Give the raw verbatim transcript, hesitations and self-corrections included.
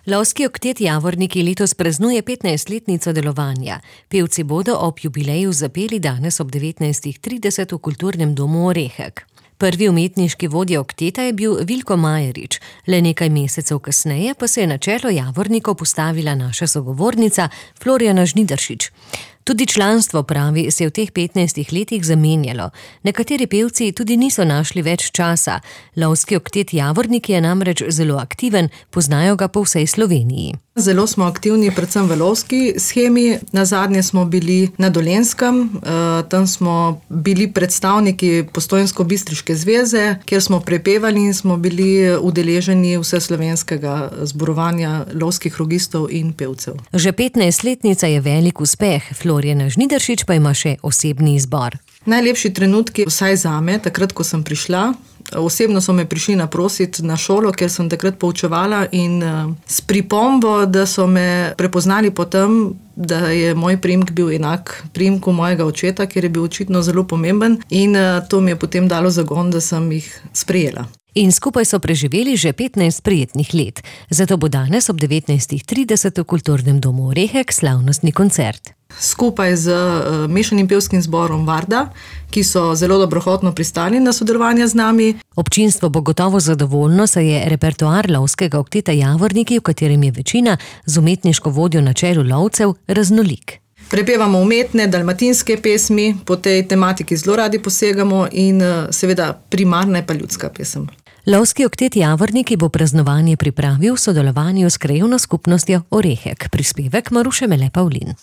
Lovski oktet Javorniki letos praznuje petnajstletnico delovanja. Pevci bodo ob jubileju zapeli danes ob devetnajstih trideset v Kulturnem domu Orehek. Prvi umetniški vodja okteta je bil Vilko Majerič. Le nekaj mesecev kasneje pa se je na čelo Javornikov postavila naša sogovornica Florjana Žnidaršič. Tudi članstvo, pravi, se je v teh petnajstih letih zamenjalo. Nekateri pevci tudi niso našli več časa. Lovski oktet Javorniki je namreč zelo aktiven, poznajo ga po vsej Sloveniji. Zelo smo aktivni predvsem v lovski shemi. Nazadnje smo bili na Dolenjskem, tam smo bili predstavniki Postojnsko-bistriške zveze, kjer smo prepevali in smo bili udeleženi vseslovenskega zborovanja lovskih rogistov in pevcev. Že petnajstletnica je velik uspeh, Florjana Žnidaršič pa ima še osebni izbor. Najlepši trenutki, vsaj zame, takrat, ko sem prišla. Osebno so me prišli naprositi na šolo, ker sem takrat poučevala in s pripombo, da so me prepoznali po tem, da je moj priimek bil enak priimku mojega očeta, ker je bil očitno zelo pomemben in to mi je potem dalo zagon, da sem jih sprejela. In skupaj so preživeli že petnajst prijetnih let. Zato bo danes ob devetnajstih trideset v Kulturnem domu Orehek slavnostni koncert. Skupaj z uh, mešanim pevskim zborom Varda, ki so zelo dobrohotno pristali na sodelovanje z nami. Občinstvo bo gotovo zadovoljno, saj je repertoar lovskega okteta Javorniki, v katerem je večina z umetniško vodjo na čelu lovcev, raznolik. Prepevamo umetne, dalmatinske pesmi, po tej tematiki zelo radi posegamo in uh, seveda primarna je pa ljudska pesem. Lovski oktet Javorniki bo praznovanje pripravil v sodelovanju s krajevno skupnostjo Orehek. Prispevek Maruše Mele Pavlin.